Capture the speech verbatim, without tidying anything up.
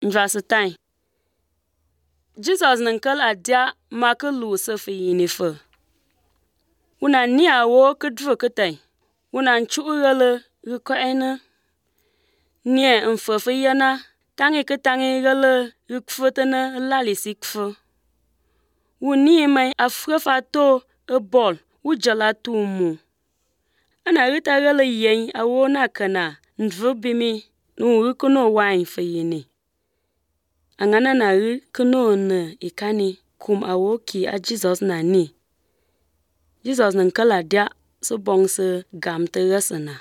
Njwasitang. Jesus ninkal adia maka lu sefe yinife. Wuna ni awo kedvu ketay. Wuna nchu'gele riko'ene. Nie mfefe yana tangi ketangi gele rikfetene lalisi kfe. Wuni mai afrefa to e bol wujala tumu. Ana rita gele yen awo na kana ndvu bimi nu rikono wine fe yini. Angana na ri kono ne ikani kum awo ki a Jesus na ni. Jesus ninkala dia so bong se gam te resena.